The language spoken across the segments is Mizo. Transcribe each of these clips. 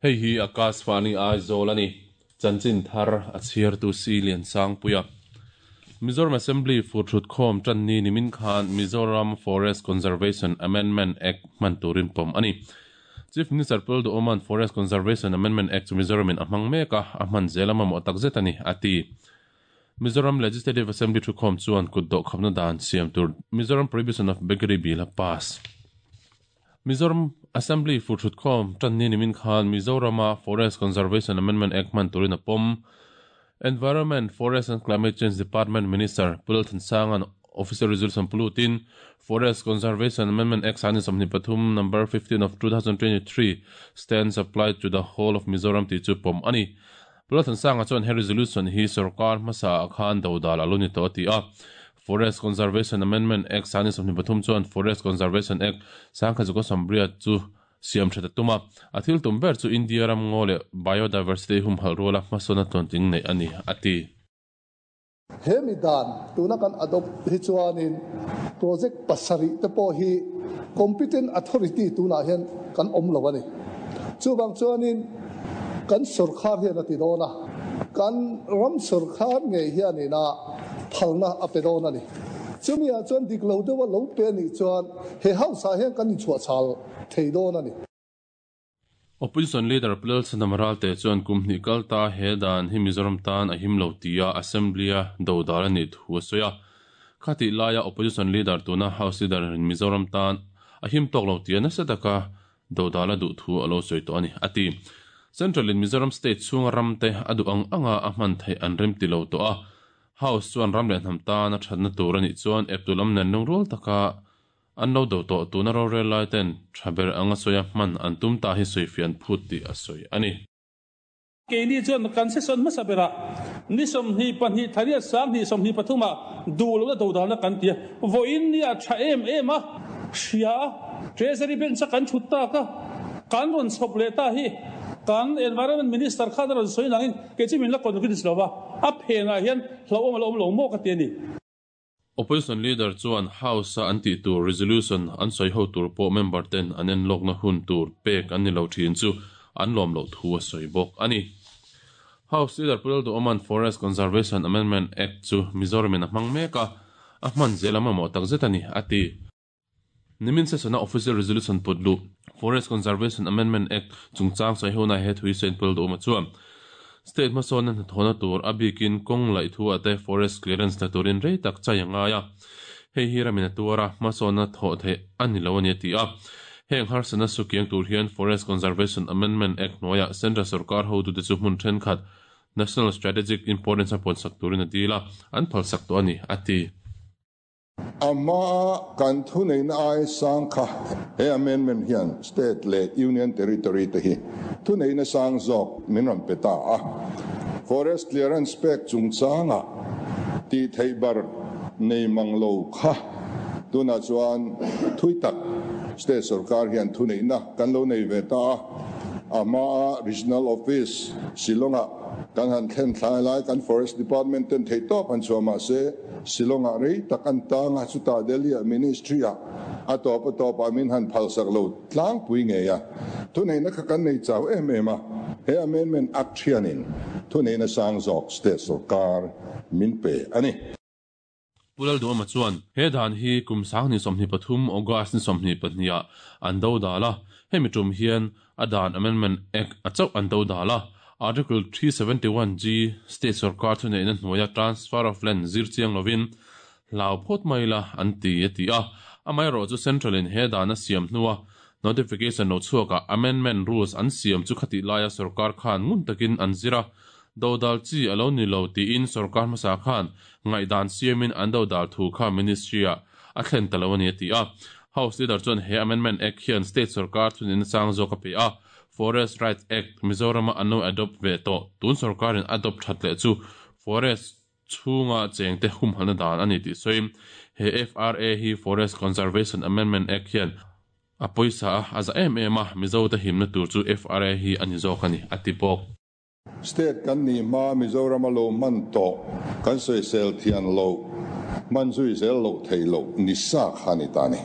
Hei hi Akashvani Aizawl a ni. Chanchin thar a chhiartu Si Liansangpuia. Mizoram Assembly furthut khawm tan ni nimin khan Mizoram Forest Conservation Amendment Act hman turin pawm a ni. Chief Minister Pul Duhawma'n Forest Conservation Amendment Act chu Mizoramin a hmang mek a, a hman zel a mamawh takzet a ni, a ti. Mizoram Legislative Assembly thukhawm chuan kut dawhkhapna dan siam tur Mizoram Prohibition of Beggary Bill a pass. Mizoram Assembly furthutkhawm tan ni nimin khan Mizorama Forest Conservation Amendment Act hman turin a pawm. Environment, Forest and Climate Change Department Minister Pu Lalthansanga'n Official Resolution pulutin Forest Conservation Amendment Act 2023 Number 15 of 2023 stands applied to the whole of Mizoram tih chu pawm a ni. Pu Lalthansanga chuan he resolution hi sorkar hmasa ah khan dodal a lo ni tawh a ti a. Forest Conservation Amendment Act 2023 chuan Forest Conservation Act 1980 chu siam that a tum a. A thil tum ber chu India ram ngaw leh biodiversity humhalh ruala hmasawn a tluantling neih a ni, a ti. He mi dan tuna kan adopt hi chuanin project pasarih te pawh hi competent authority tunah hian kan awm lo a ni. Chuvang chuanin kan sorkar hian a ti dawn a, kan ram sorkar ngei hianin a phalna a pe dawn a ni. Chumi ah chuan dik lo deuha lo pe a nih chuan he house ah hian kan inchhuahchhal thei dawn a ni. Opposition Leader Pu Lalchhanam Ralte chuan kum hnih kal ta he dan hi Mizoram tan a him lo tia Assembly-a dodal a nih thu a sawi a. Khatih laia Opposition Leader tuna House Leader in Mizoram tan a him tawk lo tia nasa taka dodal a duh thu a lo sawi tawh a ni, a ti. Central in Mizoram State chhunga ramte a duh ang anga a hman theih an rem ti lo tawh a. House chuan ram leh hnam tan a thatna tur a nih chuan eptu lam nen lungrual taka An lo do tawh tuna rorel lai ten tha ber anga sawi a hman an tum ta hi sawifiah an phut tih a sawi a ni. Keini chuan kan session hmasa berah ni 22 thariat 20 23 ah duh lohna dodalna kan ti a, vawiin ni ah tha em em a hria a, Treasury Bench a kan thut tak a, kan rawn chhawp leh ta hi kan Environment Minister khan a rawn sawi nangin kei chu min la convince lo va, a phenah hian hlauhawm a la awm lo maw ka ti a ni. Opposition Leader chuan House-a an tih tur resolution an sawi ho tur pawh member ten an enlawkna hun tur pek an ni lo thin chu an lawm loh thu a sawi bawk a ni. House Leader Pu Lalduhawma'n Forest Conservation Amendment Act chu Mizoramin a hmang mek a, a hman zel a mamawh takzet a ni, a ti. Nimin session-a Official Resolution put luh, Forest Conservation Amendment Act chungchang sawi hona he thui Saint Paul Duhawma chuan State hmasawnna hnathawhna tur a bikin kawng laih thu ah te forest clearance la turin rei tak chai a ngai a, hei hi ramin a tuar a, hmasawnna thawh theih a ni lo a ni a ti a. Heng harsatna sukiang tur hian Forest Conservation Amendment Act hnuaiah Central sorkar hotute chu hmun thenkhat National Strategic Importance a puansak turin a dil a, an phalsak tawh a ni, a ti. A hmaa kan thuneihna ai sang kha he amendment hian state leh union territory te hi thuneihna sang zawk min rawn pe ta a. Forest clearance pek chungchanga tih theih bar nei mang lo kha tunah chuan thui tak state sorkar hian thuneihna kan lo nei ve ta a. A hmaa regional office Shillong-ah kan han thlen thlai lai kan forest department ten theihtawp han chhuah mahse, Shillong-ah rei tak an tang a, chutah Delhi-ah Ministry-ah a tawp a tawpah min han phalsak lo tlangpui ngei a. Thuneihna kha kan nei chau em em a, he Amendment Act hianin thuneihna sang zawk state sorkar min pe a ni. Pu Lalduhawma chuan he dan hi kum 2023 August ni 22 ah an do dal a, hemi tum hian a dan Amendment Act a chauh an do dal a, Article 371G State sorkar thuneihna hnuaia transfer of land zir chiang lovin hlau phawt mai ila an ti a ti a. Amaherawhchu chu Central in he dan a siam hnua notification lo chhuakah amendment rules an siam chu khatih laia sorkar khan ngun takin an zir a, dodal chi a lo ni lo tiin sorkar hmasa khan ngaihdan siamin an dodal thu kha Ministry-ah a thlen ta lo a ni a ti a. House Leader chuan he Amendment Act hian State sorkar thuneihna chang zawk a pe a, Forest Rights Act Mizorama an lo adopt ve tawh, tun sorkarin adopt that leh chu Forest chhunga chengte humhalhna dan a ni tih sawiin he FRA hi Forest Conservation Amendment Act hian a pawisa a, a za em em a, Mizote himna tur chu FRA hi a ni zawk a ni, a ti bawk. State kan nih hma Mizoram a lo hman tawh kan sawisel thian loh, hman zui zel loh theih loh ni sa kha a ni ta a ni.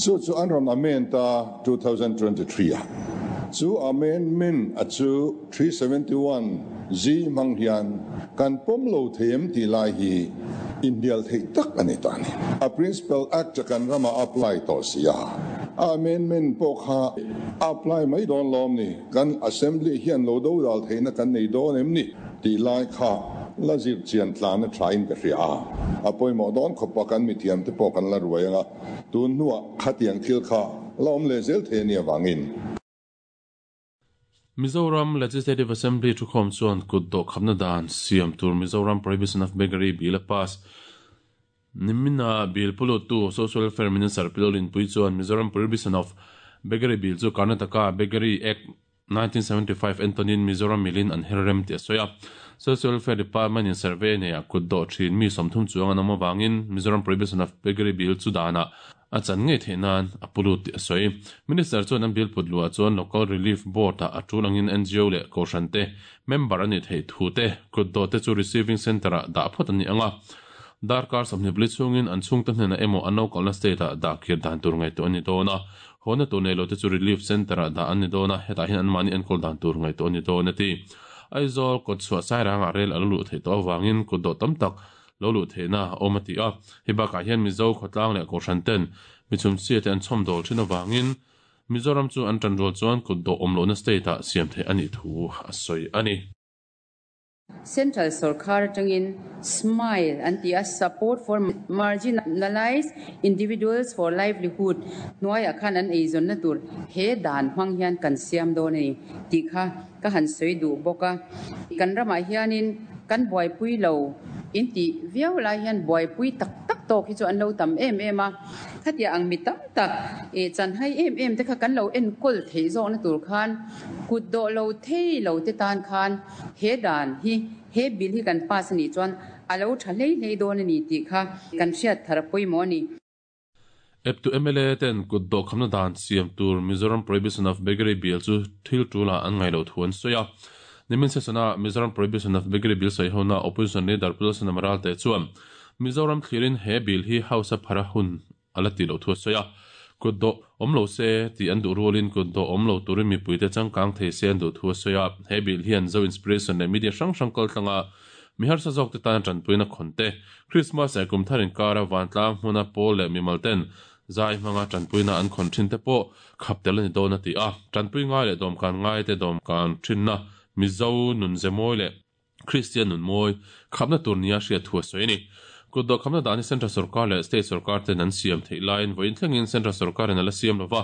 Chu chu an rawn amend a 2023 a. Chu amendment a chu 371 G hmang hian kan pawm lo thei em tih lai hi inhnial theih tak a ni ta a ni. A Principal Act a kan ramah a apply tawh si a, a amendment pawh kha a apply mai dawn lawm ni? Kan Assembly hian lo dodal theihna kan nei dawn em ni tih lai kha la zir chian tlan a tha in ka hria a, a pawimawh dawn khawp a, kan mithiam te pawh kan la ruai ang a, tun hnuah khatiang thil kha la awm leh zel thei a nih avangin. Mizoram Legislative Assembly thukhawm chuan kut dawhkhamna dan siam tur Mizoram Prohibition of Beggary Bill a pass. Nimina bill puluttu Social Welfare Minister Pi Lolinpui chuan Mizoram Prohibition of Beggary Bill chu Karnataka Beggary Act 1975 entawnin Mizoram milin an her rem tih a sawi a. Social Welfare Department in survey neiah kut dawh thin mi 30 chuang an awm avangin Mizoram Prohibition of Beggary Bill chu danah a chan ngei theih nan a pulut tih a sawi. Minister chuan an bill put luah chuan Local Relief Board ah a tul angin NGO leh Kohhran te member a nih theih thu te kut dawh te chu Receiving Centre ah dah phawt a ni ang a. Darkar 24 chhungin an chhungte hnenah emaw an lo kalna state ah dah kir dan tur ngaihtuah a ni dawn a, hawna tur nei lote chu Relief Centre ah dah an ni dawn a, hetah hian anmahni enkawl dan tur ngaihtuah a ni dawn a ti. Aizawl kawtchhuah Sairangah rel a lo luh theih tawh avangin kutdawh tam tak lo luh theihna a awm a ti a, hei bakah hian Mizo khawtlang leh Kohhran ten mi chhumchhia te an chhawmdawl thin avangin Mizoram chu an tanrual chuan kutdawh awm lohna state ah siam theih a nih thu a sawi a ni. Central sorkar atangin SMILE an ti a, Support for Marginalised Individuals for Livelihood hnuaiah khan an eizawnna tur he dan hmang hian kan siam dawn a ni tih kha ka han sawi duh bawk a. Kan ramah hianin kan buaipui lo intih viau lai hian buaipui tak tak tawk hi chu an lo tam em em a. Khatia ang mi tam tak chanhai em em te kha kan lo enkawl theih zawkna tur khan kut dawh lo thei lo te tan khan He dan hi he bill hi kan pass a nih chuan a lo tha hlei hlei dawn a ni tih kha kan hriat thar a pawimawh a ni. Eptu mla ten kut dawhkhamna dan siam tur Mizoram Prohibition of Beggary Bill chu thil tul ah an ngaih loh thu an sawi a. Nimin session-a Mizoram Prohibition of Beggary Bill sawi hona Opposition Leader Pu Lalsana Maralte chuan Mizoram thlirin he bill hi House a phara hun a la tih loh thu a sawi a, kut dawh awm lo se tih an duh rualin kut dawh awm lo turin mipuite changkang thei se an duh thu a sawi a, he bill hian Zo Inspiration leh media hrang hrang kal tlanga mi harsa zawkte tana tanpuina khawn te, Christmas leh kum thar inkara vantlang hmuna pawl leh mimal ten zai hmanga tanpuina an khawn thin te pawh khap tel a ni dawn a ti a, tanpui ngai leh dawmkan ngaite dawmkan thinna Mizo nunze mawi leh Kristian nun mawi khapna tur nia hriat thu a sawi a ni. Kutdawh khapna dan hi Central Sorkar leh State Sorkar ten an siam theih laiin vawiin thlengin Central Sorkarin a la siam lova.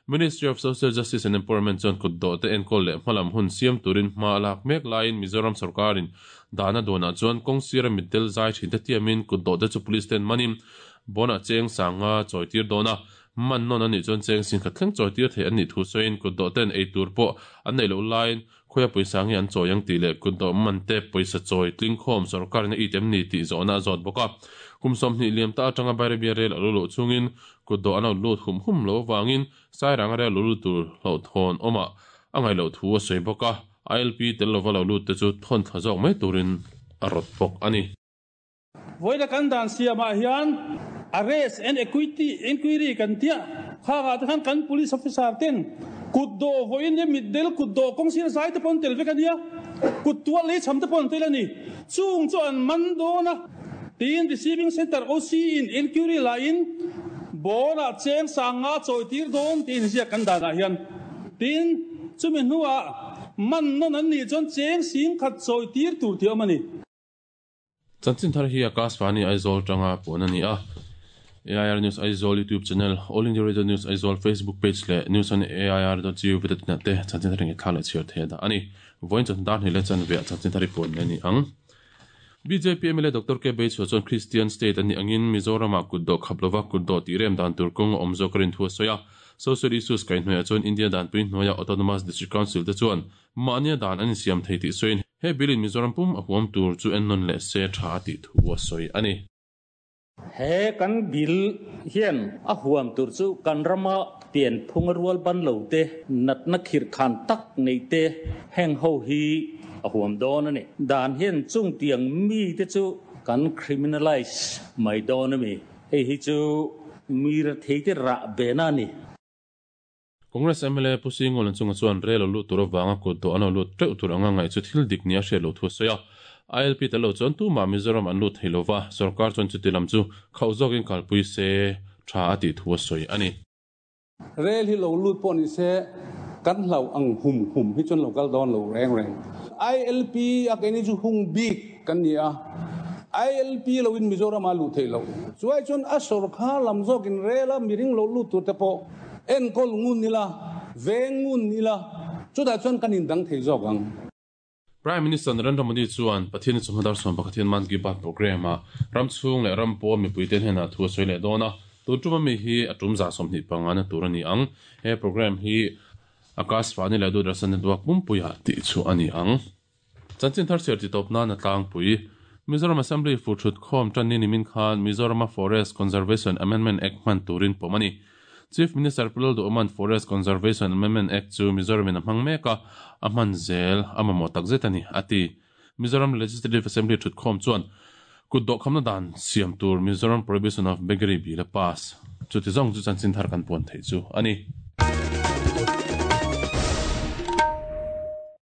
Ministry of Social Justice and Empowerment chuan kutdawh te enkawl leh hmalam hun siam turin hma a lak mek laiin Mizoram Sorkarin dan a duanah chuan kawng sira mitdel zai thin te tiamin kutdawh te chu Police ten manin bawnah cheng sanga chawi tir dawn a, man nawn a nih chuan cheng singkhat thleng chawi tir theih an nih thu sawiin kutdawh ten ei tur pawh an neih loh laiin Khawia pawisa nge an chawi ang tih leh kutdawh man te pawisa chawi tlingkhawm sorkarin a it em ni tih zawhna a zawt bawk a. Kum 20 liam ta atanga Bairabia rel a lo luh chungin kutdawh an lo lut hum hum lo avangin Sairanga rel lo lut tur hlauhthawn awmah a ngaih loh thu a sawi bawk a. ILP tel lova lo lut te chu thawn thla zawk mai turin a rawt bawk a ni. Vawiina kan dan siamah hian arrest and equity inquiry kan tia, khangah te khan kan police officer ten kut dawh vawiin hi mitdel kut dawh kawng sir zai te pawh an tel vek a nia, kut tual lei chham te pawh an tel a ni, chung chu an man dawn a, tiin receiving centre OC in inquiry laiin bawnah cheng sanga chawi tir dawn tiin ziak kan danah hian tin chumi hnuah man nawn an nih chuan cheng 10,000 chawi tir tur tih a awm a ni. Chanchin thar hi Akashvani Aizawl tanga puan a ni a. AIR News Aizawl YouTube channel, All India Radio News Aizawl Facebook page leh News on AIR dot gov dot in ah te chanchin thar ngaihthlak leh chhiar thei a dah a ni. Vawiin chawhnu dar hnih leh chanve ah chanchin thar hi puan leh a ni ang. Bjp mla Doctor K Beichhua chuan Christian state a nih angin Mizoram ah kutdawh khap lova kutdawh tih rem dan tur kawng a awm zawk a rin thu a sawi a. Social issues kaihhnuaiah chuan India danpui hnuaia Autonomous District Council te chuan Mahnia dan an insiam thei tih sawiin he bill in Mizoram pum a huam tur chu ennawn leh se tha a tih thu a sawi a ni. He kan bill hian a huam tur chu kan rama pianphung a rual ban lo te, natna khirh khan tak nei te heng ho hi. a huam dawn a ni. Dan hian chung tiang mite chu kan criminalize mai dawn a mi? Hei hi chu mi retheite rah bena a ni. Congress mla Pu Singolan chunga chuan rel lo lut tur avanga kut dawh an lo lut teuh tur anga ngaih chu thil dik nia hriat loh thu a sawi a. ILP tel lo chuan tumah Mizoram an lut thei lova, sorkar chuan chuti lam chu khauh zawkin kalpui se tha a tih thu a sawi a ni. Rel hi lo lut pawh ni se kan hlauh ang hum hum hi chuan lo kal dawn lo reng reng. ILP a keini chu hung bik kan ni a, ILP lo in Mizoram ah luh theih loh. Chuai chuan a sorkar lam zawkin rel a miring lo lut tur te pawh enkawl ngun ila, veng ngun ila, chutah chuan kan indang thei zawk ang. Prime Minister Narendra Modi chuan Pathian chawhma dar 11 hian Mann Ki Baat programme-ah ram chhung leh ram pawn mipuite hnenah thu a sawi leh dawn a, tun tum ami hi a tum 25 na tur a ni ang. He programme hi Akashvani leh Doordarshan Network pumpuiah tih chhuah a ni ang. Chanchin thar chhiar titawp nan a tlangpui. Mizoram Assembly fur thut khawm tan ni nimin khan Mizorama Forest Conservation Amendment Act hman turin pawm a ni. Chief Minister Pu Lalduhawma'n Forest Conservation Amendment Act chu Mizoramin a hmang mek a, a hman zel a mamawh takzet a ni, a ti. Mizoram Legislative Assembly thutkhawm chuan kut dawhkhamna dan siam tur Mizoram Prohibition of Beggary Bill a pass. Chuti zawng chu chanchin thar kan puan theih chu a ni.